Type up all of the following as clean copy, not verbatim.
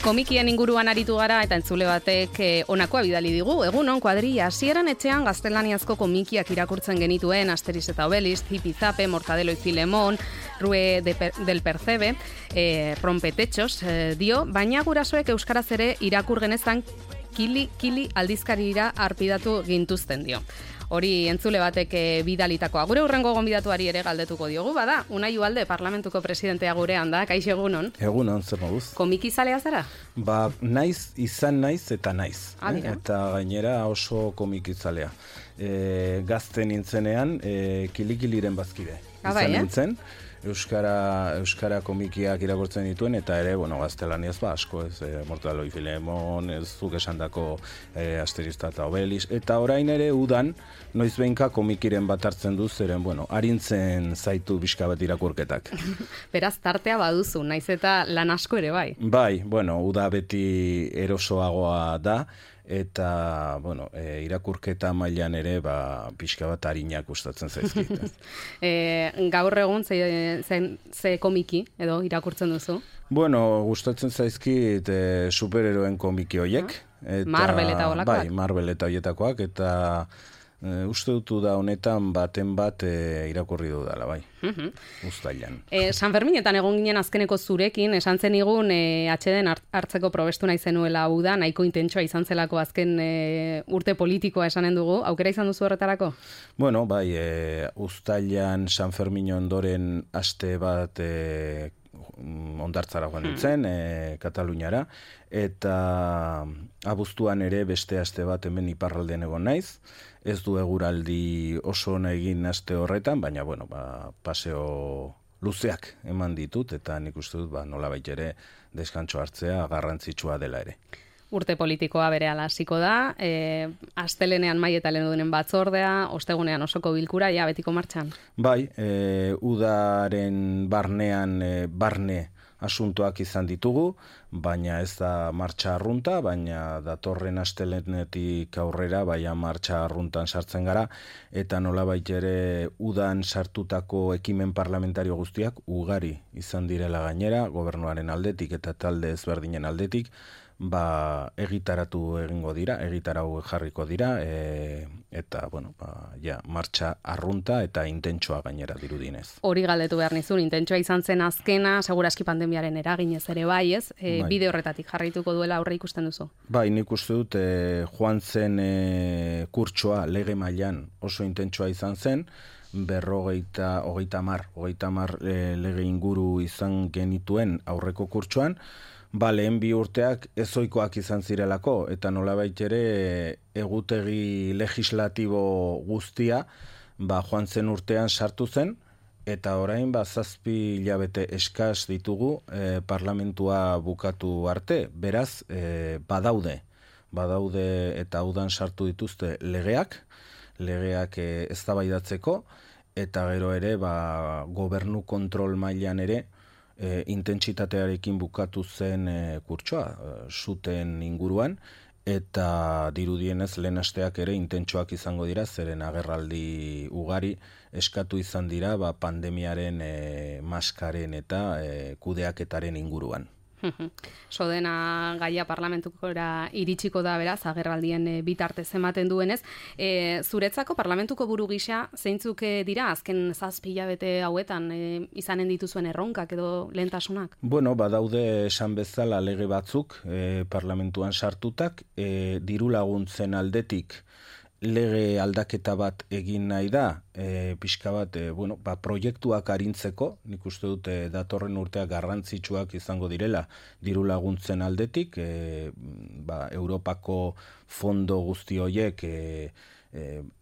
Komikien inguruan aritu gara eta entzule batek honakoa bidali digu. Egunon, kuadrilla, hasieran etxean gaztelaniazko komikiak irakurtzen genituen, Asterix eta Obelix, Zipizape, Mortadelo y Filemón, Rue del Percebe, Rompetechos, dio, baina gurasoek euskaraz ere irakur genezan kili aldizkarira arpidatu gintuzten dio. Hori entzule batek bidalitakoa. Gure hurrengo gonbidatuari ere galdetuko diogu, bada, Unai Ugalde, parlamentuko presidentea gurean da, kaixo egunon. Egunon, zer moduz. Komikizalea zara? Izan naiz eta naiz. Eta gainera oso komikizalea. Gazte nintzenean, kilikiliren bazkide. Izan nintzen. Euskara komikiak irakurtzen dituen, eta ere, gaztelaniaz asko, Mortadelo y Filemón, zuk esandako Asterix eta Obelix, eta orain ere udan, noiz behinka komikiren bat hartzen du, zeren, arintzen zaitu pixka bat irakurketak. Beraz, tartea baduzu, naiz eta lan asko ere bai? Bai, uda beti erosoagoa da, eta, irakurketa mailan ere, pixka bat harinak gustatzen zaizkit. Gaur egun ze komiki edo irakurtzen duzu? Gustatzen zaizkit superheroen komiki hoiek. Marvel eta holakoak? Bai, Marvel eta hoietakoak, eta uste dutu da honetan baten bat irakurri dudala, bai. Uztailan. San Ferminetan egon ginen azkeneko zurekin, esan zenigun atxeden hartzeko probestu nahi zenuela uda, nahiko intentsoa izan zelako azken urte politikoa esanen dugu, aukera izan duzu horretarako? Bai, Uztailan San Fermin ondoren aste bat ondartzara joan nintzen, Kataluniara, eta abuztuan ere beste aste bat hemen iparraldean egon naiz. Ez du eguraldi oso ona egin aste horretan, baina, paseo luzeak eman ditut, eta nik uste dut, nolabait ere deskantxo hartzea garrantzitsua dela ere. Urte politikoa berehala hasiko da, astelenean Mai eta Lehendunen batzordea, ostegunean osoko bilkura, ja betiko martxan? Bai, udaren barnean barne asuntoak izan ditugu, baina ez da martxa arrunta, baina datorren astelenetik aurrera, martxa arruntan sartzen gara, eta nolabait ere udan sartutako ekimen parlamentario guztiak ugari izan direla gainera, gobernuaren aldetik eta talde ezberdinen aldetik, egitaratu egingo dira, egitarau jarriko dira, eta, martxa arrunta eta intentsoa gainera dirudinez. Hori galdetu behar nizun, intentsoa izan zen azkena, seguraski pandemiaren eraginez ere bai, ez? Bide horretatik jarrituko duela aurre ikusten duzu? Bai, nik uste dut, joan zen kurtsoa lege mailan oso intentsoa izan zen, hogeita mar lege inguru izan genituen aurreko kurtsoan, lehen bi urteak ezoikoak izan zirelako, eta nolabait ere egutegi legislatibo guztia joan zen urtean sartu zen, eta orain 7 hilabete eskas ditugu parlamentua bukatu arte, beraz badaude eta udan sartu dituzte legeak eztabaidatzeko, eta gero ere gobernu kontrol mailan ere intentsitatearekin bukatu zen kurtsoa, zuten inguruan, eta dirudienez lehen asteak ere intentsoak izango dira, zeren agerraldi ugari eskatu izan dira pandemiaren maskaren eta kudeaketaren inguruan. Sodena gaia parlamentukora iritsiko da beraz, agerraldien bitartez ematen duenez. Zuretzako parlamentuko buru gisa zeintzuk dira azken 7 hilabete hauetan izanen dituzuen erronkak edo lehentasunak? Badaude esan bezala lege batzuk parlamentuan sartutak, diru laguntzen aldetik lege aldaketa bat egin nahi da, pixka bat, proiektuak arintzeko, nik uste dut datorren urteak garrantzitsuak izango direla diru laguntzen aldetik, Europako fondo guzti horiek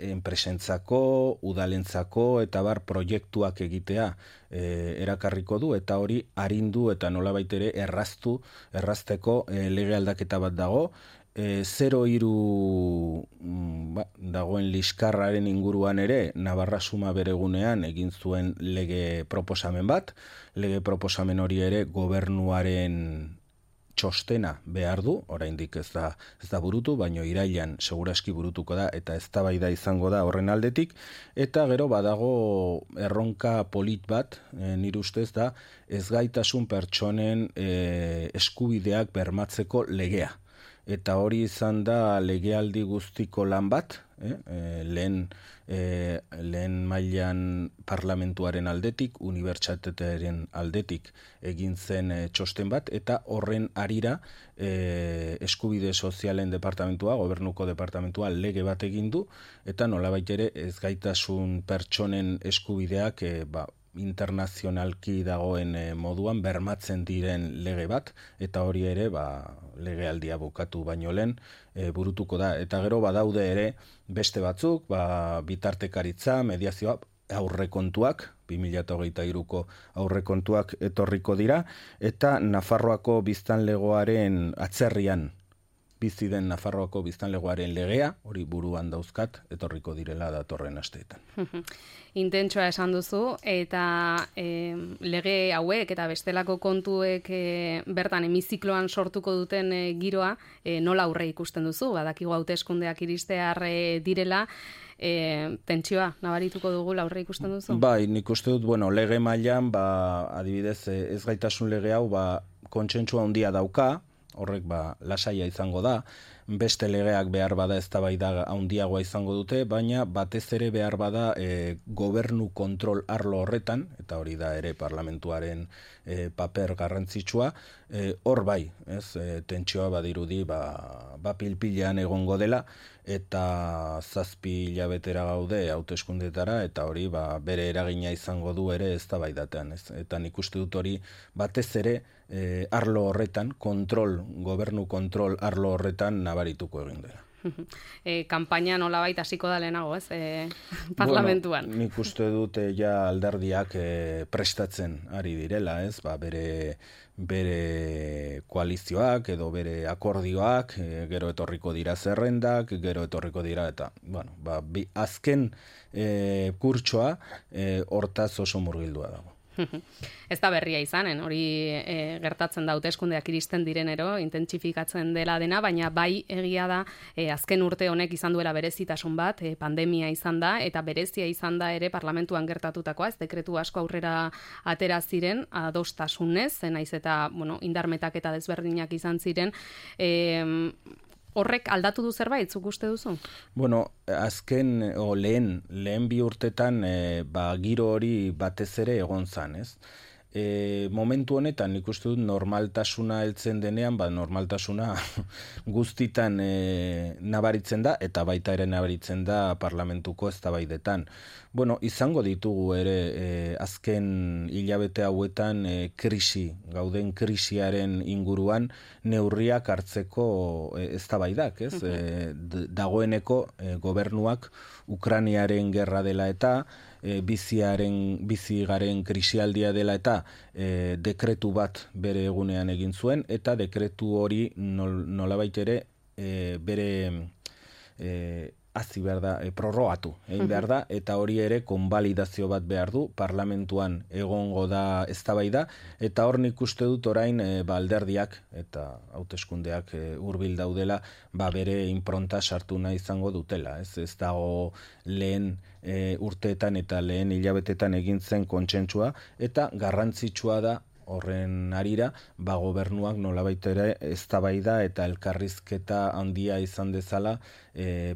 enpresentzako, udalentzako, eta proiektuak egitea erakarriko du, eta hori arindu eta nolabait ere errazteko lege aldaketa bat dago, 03 dagoen liskarraren inguruan ere Navarra Suma beregunean egin zuen lege proposamen bat. Lege proposamen hori ere gobernuaren txostena behar du, oraindik ez da burutu, baino irailean seguraski burutuko da eta eztabaida izango da horren aldetik, eta gero badago erronka polit bat, nire ustez da, ezgaitasun pertsonen eskubideak bermatzeko legea. Eta hori izan da legealdi guztiko lan bat, lehen mailan parlamentuaren aldetik, unibertsitatearen aldetik egin zen txosten bat, eta horren harira eskubide sozialen departamentua, gobernuko departamentua lege bat egin du, eta nolabait ere ezgaitasun pertsonen eskubideak internazionalki dagoen moduan bermatzen diren lege bat, eta hori ere legealdia bukatu baino lehen burutuko da. Eta gero badaude ere beste batzuk, bitartekaritza, mediazioa, aurrekontuak, 2023ko aurrekontuak etorriko dira, eta Nafarroako biztanlegoaren atzerrian bizi den Nafarroako biztanlegoaren legea, hori buruan dauzkat, etorriko direla datorren asteetan. Intentsua esan duzu, eta lege hauek eta bestelako kontuek bertan hemizikloan sortuko duten giroa, nola aurre ikusten duzu? Badakigu hauteskundeak iristear direla, tentsioa nabarituko dugu aurre ikusten duzu? Bai, nik uste dut, lege mailan, adibidez, ezgaitasun lege hau, kontsentsua handia dauka, horrek lasaia izango da, beste legeak behar bada eztabaida handiagoa izango dute, baina batez ere behar bada gobernu kontrol arlo horretan, eta hori da ere parlamentuaren paper garrantzitsua, hor bai, tentsioa badirudi pilpilean egongo dela, eta 7 hilabetera gaude hauteskundetara, eta hori bere eragina izango du ere eztabaidatean. Eta nik uste dut hori batez ere arlo horretan, gobernu kontrol arlo horretan nabarituko egin dela. Kanpaina nolabait hasiko da lehenago, parlamentuan. Nik uste dut ja alderdiak prestatzen ari direla, bere koalizioak edo bere akordioak, gero etorriko dira zerrendak, gero etorriko dira, eta azken kurtsoa hortaz oso murgildua dago. Ez da berria izanen, hori gertatzen da hauteskundeak iristen direnero, intentsifikatzen dela dena, baina bai egia da azken urte honek izan duela berezitasun bat, pandemia izan da, eta berezia izan da ere parlamentuan gertatutakoa, ez dekretu asko aurrera atera ziren, adostasunez, naiz eta indarmetak eta desberdinak izan ziren, horrek aldatu du zerbait, zuk uste duzu? Azken, lehen bi urtetan, giro hori batez ere egon zan, ez? Momentu honetan nik uste dut normaltasuna heltzen denean, normaltasuna guztitan nabaritzen da, eta baita ere nabaritzen da parlamentuko eztabaidetan. Izango ditugu ere azken hilabete hauetan gauden krisiaren inguruan neurriak hartzeko eztabaidak, ez? Dagoeneko gobernuak Ukrainiaren gerra dela eta bizi garen krisialdia dela eta dekretu bat bere egunean egin zuen, eta dekretu hori nolabait ere bere hazi behar da, prorrogatu egin behar da, eta hori ere konbalidazio bat behar du, parlamentuan egongo da eztabaida, eta hor nik uste dut orain alderdiak eta hauteskundeak hurbil daudela, bere inpronta sartu nahi izango dutela. Ez dago lehen urteetan eta lehen hilabetetan egin zen kontsentsua, eta garrantzitsua da horren harira, gobernuak nolabait ere eztabaida eta elkarrizketa handia izan dezala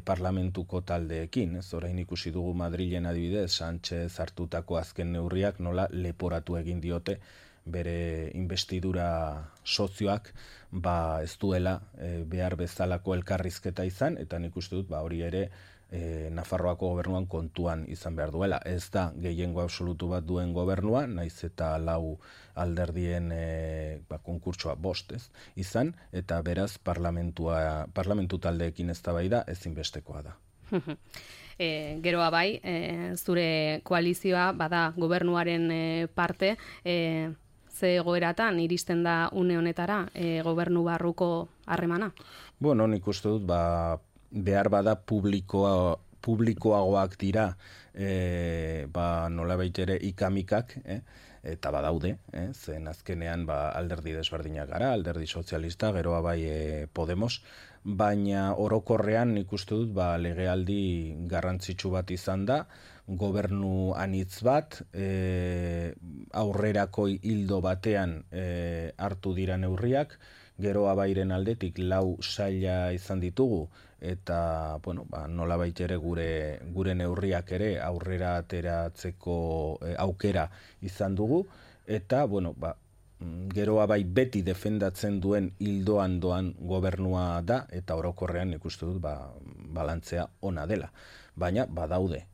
parlamentuko taldeekin. Orain ikusi dugu Madrilen adibidez, Sánchez hartutako azken neurriak nola leporatu egin diote bere investidura sozioak ez duela behar bezalako elkarrizketa izan, eta nik uste dut hori ere Nafarroako gobernuan kontuan izan behar duela. Ez da gehiengo absolutu bat duen gobernua, naiz eta 4 alderdien konkurtsoa 5 izan, eta beraz parlamentu taldeekin eztabaida ezinbestekoa da. Geroa bai, zure koalizioa bada gobernuaren parte, ze egoeratan iristen da une honetara gobernu barruko harremana? Nik uste dut behar bada publikoagoak dira nolabait ere ikamikak, eta badaude, zen azkenean alderdi desberdinak gara, alderdi sozialista, geroa bai Podemos, baina orokorrean nik uste dut legealdi garrantzitsu bat izan da, gobernu anitz bat, aurrerako hildo batean hartu dira neurriak, geroa bairen aldetik 4 saila izan ditugu, eta nolabait ere gure neurriak ere aurrera ateratzeko aukera izan dugu, eta geroa bai beti defendatzen duen hildoan doan gobernua da, eta orokorrean ikuste dut balantzea ona dela. Baina badaude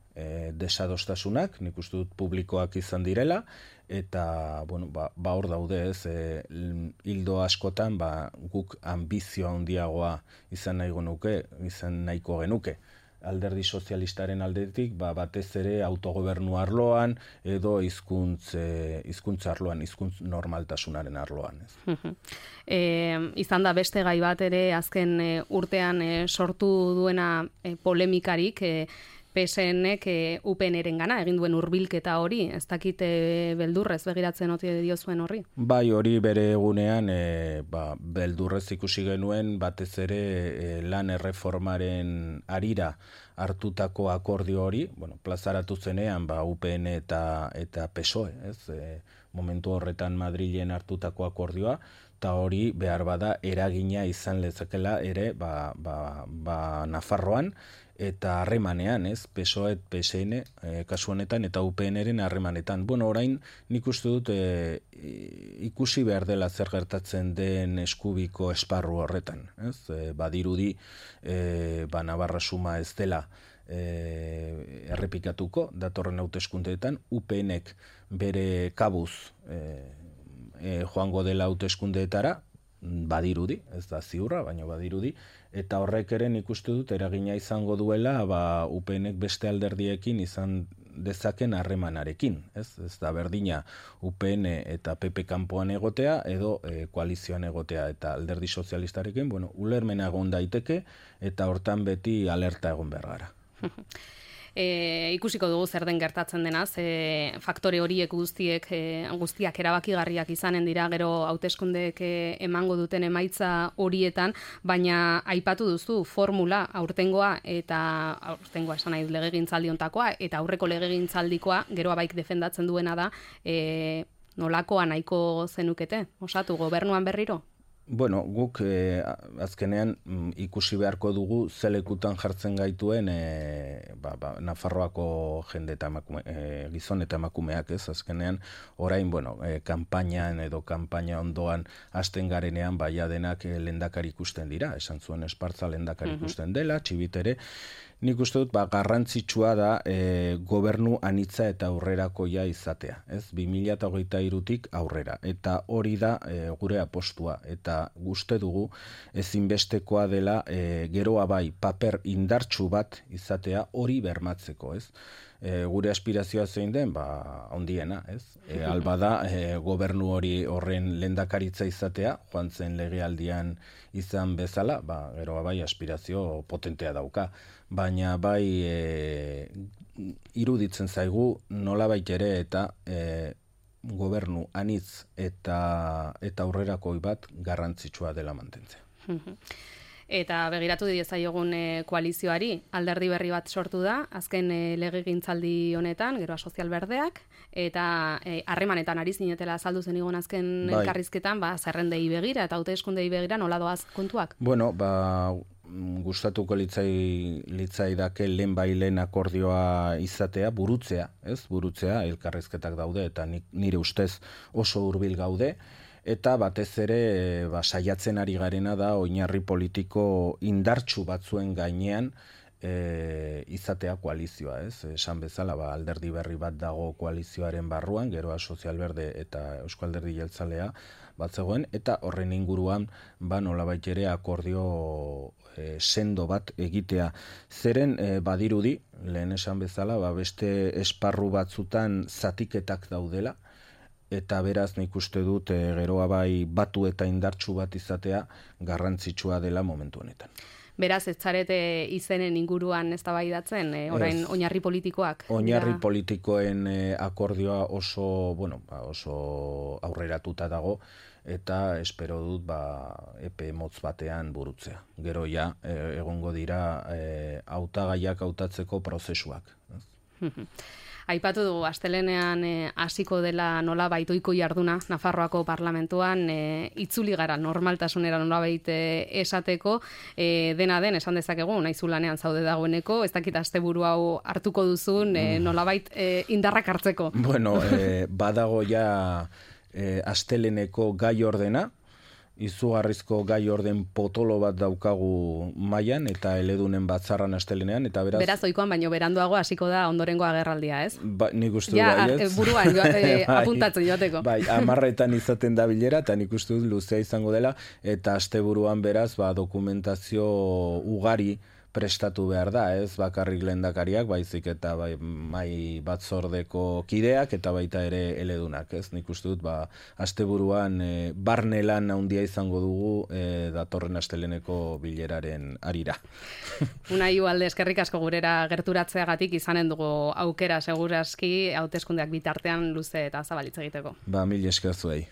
desadostasunak, nik uste dut publikoak izan direla, eta hor daude hildo askotan guk ambizio handiagoa izan nahiko genuke. Alderdi sozialistaren aldetik batez ere autogobernu arloan edo hizkuntza arloan, hizkuntz normaltasunaren arloan. Izan da beste gai bat ere azken urtean sortu duena polemikarik, PSNek UPNren gana egin duen hurbilketa hori, ez dakit beldurrez begiratzen ote diozuen horri? Bai, hori bere egunean beldurrez ikusi genuen, batez ere lan erreformaren harira hartutako akordio hori, plazaratu zenean UPN eta PSOE, momentu horretan Madrilen hartutako akordioa, eta hori behar bada eragina izan lezakela ere Nafarroan, eta harremanean, PSOE, PSN, kasu honetan, eta UPNren harremanetan. Orain nik uste dut ikusi behar dela zer gertatzen den eskubiko esparru horretan. Badirudi, Navarra suma ez dela errepikatuko, datorren hauteskundeetan, UPNek bere kabuz joango dela hauteskundeetara, badirudi, ez da ziurra, baina badirudi, eta horrek ere nik uste dut eragina izango duela UPNek beste alderdiekin izan dezaken harremanarekin. Ez da berdina UPN eta PP kanpoan egotea edo koalizioan egotea, eta alderdi sozialistarekin, ulermena egon daiteke eta hortan beti alerta egon behar gara. Ikusiko dugu zer den gertatzen denaz, faktore horiek guztiak erabakigarriak izanen dira gero hauteskundeek emango duten emaitza horietan, baina aipatu duzu formula aurtengoa esan nahi legegintzaldi hontakoa eta aurreko legegintzaldikoa geroa baik defendatzen duena da, nolakoa nahiko zenukete, osatu gobernuan berriro? Guk azkenean ikusi beharko dugu zelekutan jartzen gaituen Nafarroako jende eta gizon eta emakumeak, azkenean orain, kanpainan edo kanpaina ondoan hasten garenean denak lehendakari ikusten dira, esan zuen Espartza lehendakari ikusten dela, Txibitere. Nik uste dut garrantzitsua da gobernu anitza eta aurrerakoia izatea, 2023tik aurrera, eta hori da gure apostua, eta uste dugu ezinbestekoa dela geroa bai paper indartsu bat izatea hori bermatzeko, gure aspirazioa zein den, ondiena, albada gobernu hori horren lehendakaritza izatea, joan zen legealdian izan bezala, geroa bai aspirazio potentea dauka, baina bai iruditzen zaigu nolabait ere eta gobernu anitz eta aurrerakoi bat garrantzitsua dela mantentzea. Eta begiratu diezaiogun koalizioari, alderdi berri bat sortu da, azken legegintzaldi honetan, Geroa Sozial Berdeak, eta harremanetan ari zinetela azaldu zen igon azken elkarrizketan, zerrendei begira eta hauteskundei begira nola doaz kontuak? Gustatuko litzaidake lehen akordioa izatea, burutzea, elkarrizketak daude, eta nire ustez oso hurbil gaude, eta batez ere saiatzen ari garena da oinarri politiko indartsu batzuen gainean izatea koalizioa, esan bezala alderdi berri bat dago koalizioaren barruan, Geroa Sozial Berde eta Eusko Alderdi Jeltzalea bat zegoen, eta horren inguruan nolabait ere akordio sendo bat egitea. Zeren badirudi, lehen esan bezala, beste esparru batzutan zatiketak daudela, eta beraz nik uste dut geroa bai batu eta indartsu bat izatea garrantzitsua dela momentu honetan. Beraz, ez zarete izenen inguruan eztabaidatzen, orain oinarri politikoak? Oinarri politikoen akordioa oso, oso aurreratuta dago, eta espero dut epe motz batean burutzea. Gero ja, egongo dira hautagaiak hautatzeko prozesuak. Aipatu dugu, astelenean hasiko dela nolabait ohiko jarduna Nafarroako parlamentuan, itzuli gara normaltasunera nolabait esateko, dena den esan dezakegu, naizu lanean zaude dagoeneko, ez dakit asteburu hau hartuko duzun, nolabait indarrak hartzeko. Bueno, badago ja asteleneko gai ordena, izugarrizko gai orden potolo bat daukagu mailan eta eledunen batzarran astelenean, eta beraz ohikoan baino beranduago hasiko da ondorengo agerraldia, ez? Nik uste dut baietz. Buruan apuntatzen joateko. Bai, 10etan izaten da bilera, eta nik uste dut luzea izango dela, eta asteburuan beraz dokumentazio ugari prestatu behar da, ez bakarrik lehendakariak, baizik eta mai batzordeko kideak eta baita ere eledunak, ez? Nik uste dut asteburuan barne lan handia izango dugu datorren asteleneko bileraren harira. Unai Ugalde, eskerrik asko gurera gerturatzeagatik izanen dugu aukera segurazki hauteskundeak bitartean luze eta zabalitz egiteko. Mil esker zuei.